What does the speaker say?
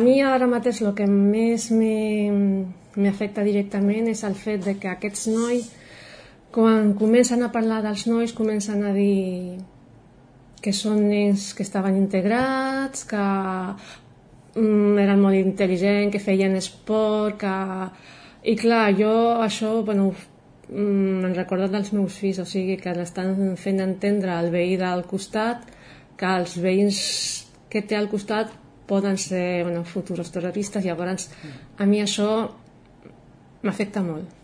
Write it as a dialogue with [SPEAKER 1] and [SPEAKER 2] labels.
[SPEAKER 1] mi ara mateix el que més m'afecta directament és el fet de que aquests nois, quan comencen a parlar dels nois, comencen a dir que són nens que estaven integrats, que eren molt intel·ligents, que feien esport, i clar, jo això, me'n recordo dels meus fills, o sigui que l'estan fent entendre al veí del costat que els veïns que té al costat poden ser futurs terroristes. Llavors a mi això m'afecta molt.